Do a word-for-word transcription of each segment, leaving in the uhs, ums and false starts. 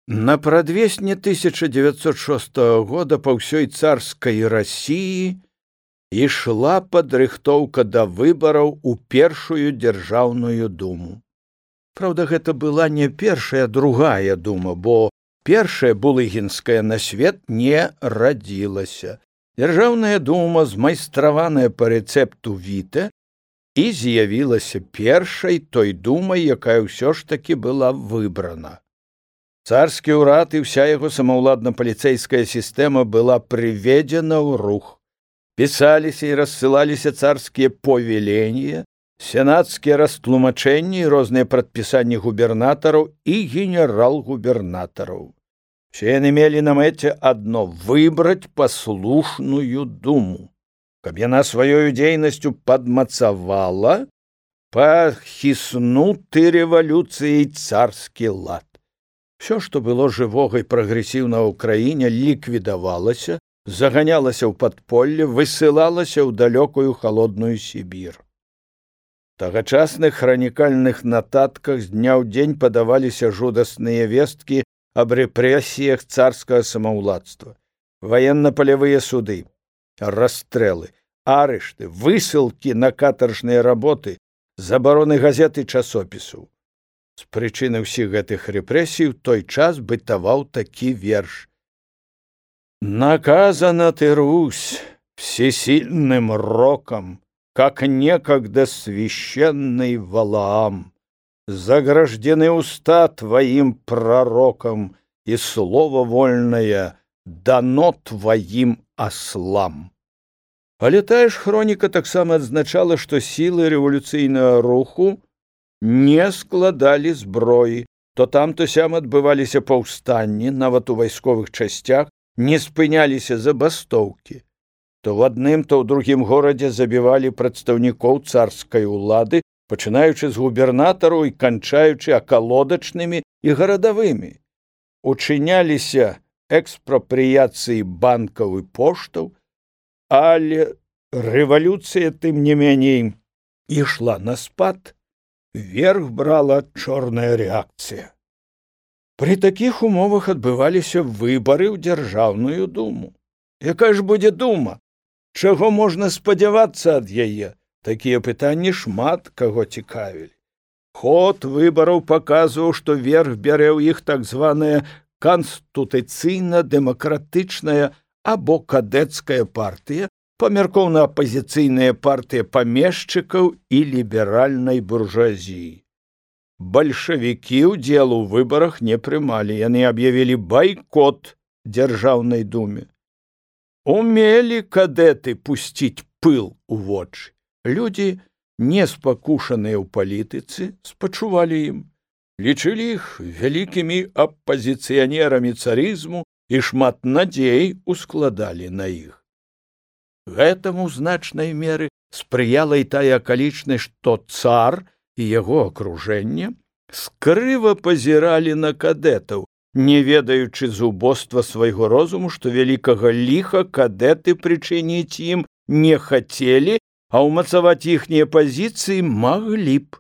На прадвесне тысяча девятьсот шестого года па ўсёй царскай Расіі ішла падрыхтоўка да выбараў у першую дзяржаўную думу. Праўда, гэта была не першая, другая дума, бо першая булыгінская на свет не радзілася. Дзяржаўная дума, змайстраваная па рэцэпту Віта, і з'явілася першай той думай, якая ўсё ж такі была выбрана. Царскі ўрад і ўся яго самаўладна-паліцэйская сістэма была прыведзена ў рух. Пісаліся і рассылаліся царскія повеления, сенацкія растлумачэнні і розныя прадпісанні губернатараў і генерал-губернатараў. Все яны мелі на мэце адно — выбраць паслушную думу, каб яна сваёю дзейнасцю падмацавала пахіснуты рэвалюцыяй царскі лад. Всё, што было жывога і прагрэсіўнага ў краіне, ліквідавалася, заганялася ў падполле, высылалася ў далёкую халодную Сібір. У тагачасных хранікальных нататках з дня ў дзень падаваліся жудасныя весткі аб рэпрэсіях царскага самаўладства, ваенна-палявыя суды, расстрэлы, арышты, высылкі на катаржныя работы, забароны газет і часопісаў. З прычыны ўсіх гэтых рэпрэсій у той час бытаваў такі верш: «Наказана ты, Русь, всесильным роком, как некогда священный Валаам. Заграждены уста твоим пророком, и слово вольное дано твоим ослам». Але тая ж хроніка таксама адзначала, што сілы рэвалюцыйнага руху не складалі зброі, то там, то сям адбываліся паўстанні, нават у вайсковых часцях не спыняліся забастоўкі. То в адным, то ў другім горадзе забівалі прадстаўнікоў царскай улады, пачынаючы з губернатараў і канчаючы акалодачнымі і гарадавымі. Учыняліся экспрапрыяцыі банкаў і поштаў, але рэвалюцыя, тым не меней, ішла на спад, верх брала чорная рэакцыя. Пры такіх умовах адбываліся выбары ў дзяржаўную думу. Якая ж будзе дума? Чаго можна спадзявацца ад яе? Такія пытанні шмат каго цікавілі. Ход выбараў паказваў, што верх бярэ ў іх так званая канстытуцыйна-дэмакратычная або кадэцкая партыя, памяркоўна-апазіцыйная партыя памешчыкаў і ліберальнай буржуазіі. Бальшавікі ўдзелу ў выбарах не прымалі, яны аб'явілі байкот дзяржаўнай думе. Умелі кадэты пусціць пыл у вочы. Людзі, не спакушаныя ў палітыцы, спачувалі ім, лічылі іх вялікімі апазіцыянерамі царызму і шмат надзей ускладалі на іх. Гэтаму ў значнай меры спрыяла і тая акалічнасць, што цар і яго акружэнне скрыва пазіралі на кадэтаў, не ведаючы зубоства свайго розуму, што вялікага ліха кадэты прычыніць ім не хацелі, а ўмацаваць іхнія пазіцыі маглі б.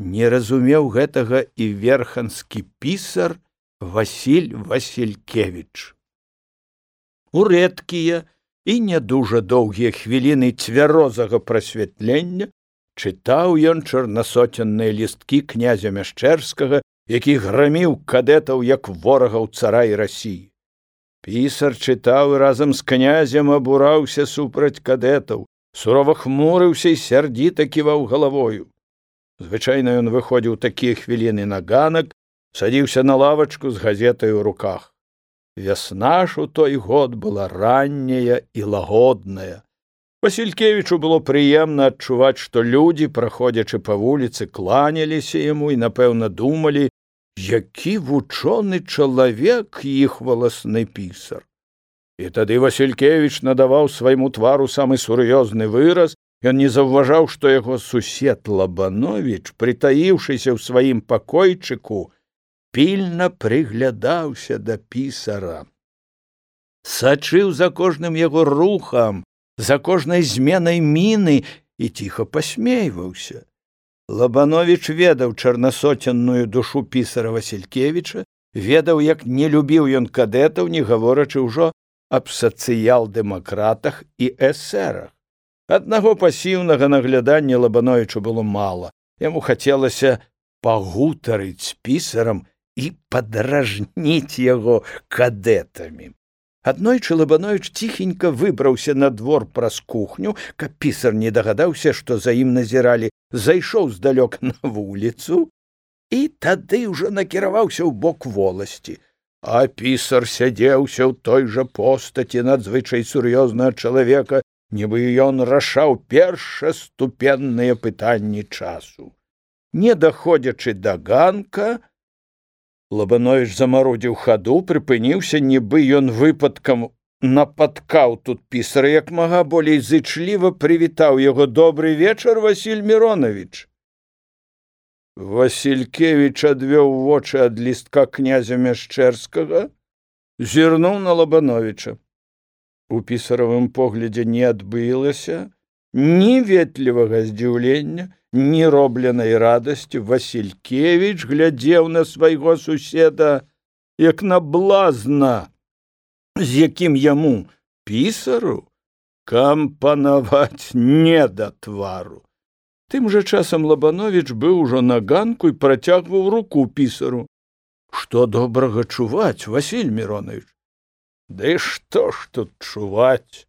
Не разумеў гэтага і верханскі пісар Васіль Васількевіч. У рэдкія і не дужа доўгія хвіліны цвярозага прасвятлення чытаў ён чарнасоценныя лісткі князя Мяшчэрскага, які граміў кадэтаў як ворагаў цара і Расіі. Пісар чытаў і разам з князем абураўся супраць кадэтаў, сурова хмурыўся і сярдзіта ківаў галавою. Звычайна ён выходзіў такія хвіліны на ганак, садзіўся на лавачку з газетай у руках. Вясна ж у той год была ранняя і лагодная. Васількевічу было прыемна адчуваць, што людзі, праходзячы па вуліцы, кланяліся яму і, напэўна, думалі, які вучоны чалавек іх валасны пісар. І тады Васількевіч надаваў свайму твару самы сур'ёзны выраз. Ён не заўважаў, што яго сусед Лабановіч, прытаіўшыся ў сваім пакойчыку, пільна прыглядаўся да пісара. Сачыў за кожным яго рухам, за кожнай зменай міны і ціха пасмейваўся. Лабановіч ведаў чарнасоценную душу пісара Васількевіча ведаў, як не любіў ён кадэтаў, не гаворачы ўжо аб сацыял-дэмакратах і эсэрах. Аднаго пасіўнага наглядання Лабановічу было мала. Яму хацелася пагутарыць з пісарам і падражніць яго кадэтамі. Аднойчы Лабановіч ціхенька выбраўся на двор праз кухню, каб пісар не дагадаўся, што за ім назіралі, зайшоў здалёк на вуліцу і тады ўжо накіраваўся ў бок воласці. А пісар сядзеўся ў той жа постаці надзвычай сур'ёзнага чалавека, нібы ён рашаў першаступенныя пытанні часу. Не даходзячы да ганка, Лабановіч замарудзіў хаду, прыпыніўся, нібы ён выпадкам напаткаў тут пісара, як мага болей зычліва прывітаў яго: «Добрый вечар, Васіль Міронович». Васількевіч адвёў вочы ад лістка князя Мяшчэрскага, зірнуў на Лабановіча. У пісаравым поглядзе не адбылася ні ветлівага здзіўлення, ні робленай радасці. Васількевіч глядзеў на свайго суседа, як на блазна, з якім яму, пісару, кампанаваць не да твару. Тым жа часам Лабановіч быў ужо на ганку і працягваў руку пісару. «Што добрага чуваць, Васіль Міронович?» «Ды што ж тут чуваць?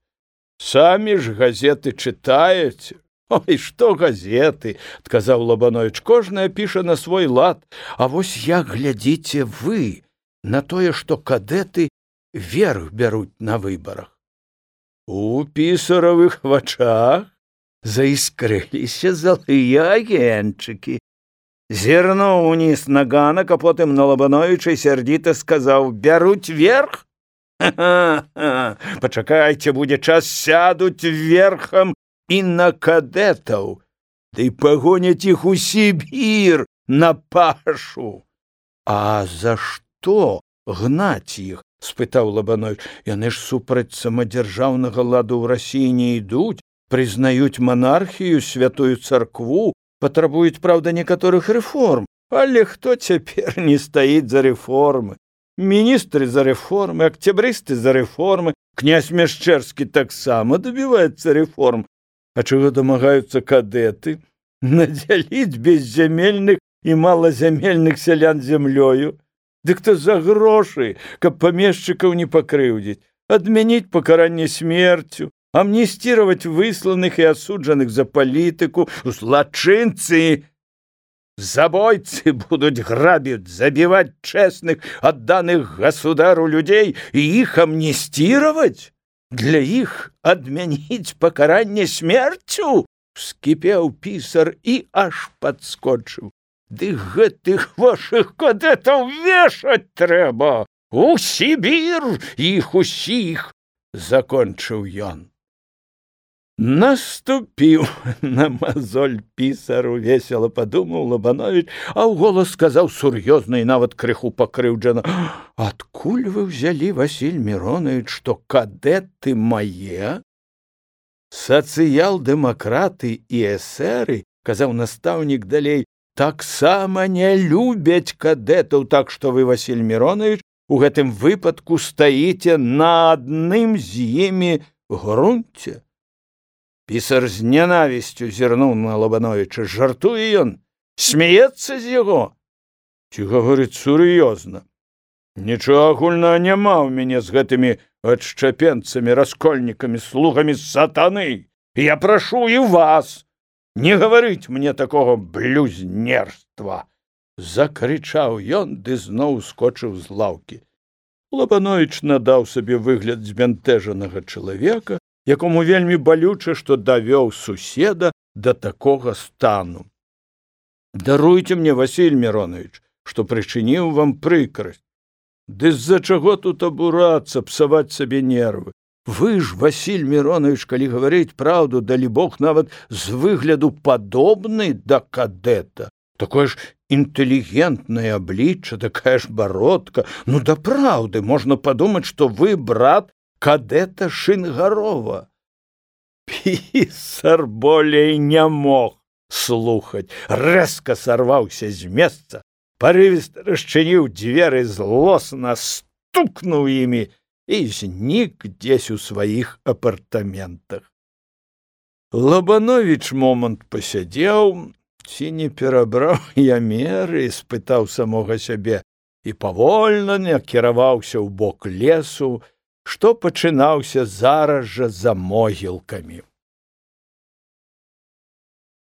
Самі ж газеты чытаеце». «Ой, што газеты!» – адказаў Лабановіч. «Кожная піша на свой лад. А вось як глядзіце вы на тое, што кадэты верх бяруць на выбарах?» У пісаравых вачах заіскрыліся залыя агеньчыкі. Зірнуў уніз на ганак, а потым на Лабановіча сярдзіта сказаў: «Бяруць верх? Ха-ха-ха! Пачакайце, будзе час, сядуць верхам і на кадэтаў, ды пагоняць іх у Сібір на пашу». «А за што гнаць іх?» – спытаў Лабановіч. «Яны ж супраць самадзяржаўнага ладу ў Расіі не ідуць, прызнаюць манархію, святую царкву, патрабуюць, праўда, некаторых рэформ. Але хто цяпер не стаіць за рэформы? Міністры за рэформы, акцябрысты за рэформы, князь Мяшчэрскі таксама дабіваецца рэформ. А чаго дамагаюцца кадэты? Надзяліць беззямельных і малазямельных сялян зямлёю? Дык то за грошы, каб памешчыкаў не пакрыўдзіць, адмяніць пакаранне смерцю, амністировать высланных и осудженных за политику. Злочинцы, забойцы будут грабить, забивать честных, отданных государу людей и их амнистировать? Для их отменить покарание смертью? Вскипел писар и аж подскочил. Ды гэтых ваших кадэтаў вешать трэба! У Сібір іх усіх! Закончыў ён. Наступіў на мазоль пісару, весела падумаў Лабановіч, а ў голас сказаў сур'ёзна і нават крыху пакрыўджана: «Адкуль вы ўзялі, Васіль Міронович, што кадэты мае?» «Сацыял-дэмакраты і эсэры, — казаў настаўнік далей, — таксама не любяць кадэтаў, так што вы, Васіль Міронович, у гэтым выпадку стаіце на адным з імі грунце». Пісар з нянавісцю зірнуў на Лабановіча. Жартуе ён? Смеецца з яго? Ці гаворыць сур'ёзна? Нічога агульнага няма ў мяне з гэтымі адшчапенцамі, раскольнікамі, слугамі сатаны. Я прашу і вас не гаварыць мне такога блюзнерства. Закрычаў ён, ды зноў скочыў з лаўкі. Лабановіч надаў сабе выгляд збянтэжанага чалавека, якому вельмі балюча, што давёў суседа да такога стану. «Даруйце мне, Васіль Міронович, што прычыніў вам прыкрасць. Ды з-за чаго тут абурацца, псаваць сабе нервы? Вы ж, Васіль Міронович, калі гаварыць праўду, далі Бог нават з выгляду падобны да кадэта. Такое ж інтэлігентнае аблічча, такая ж бародка. Ну, да праўды, можна падумаць, што вы брат кадэта Шынгарова». Пісар болей не мог слухаць, рэзка сарваўся з месца, парывіста расчыніў дзверы, злосна стукнуў імі і знік дзесь у сваіх апартаментах. Лабановіч момант пасядзеў, ці не перабраў я меры, спытаў самога сябе, і павольна накіраваўся ў бок лесу, што пачынаўся зараз жа за могілкамі.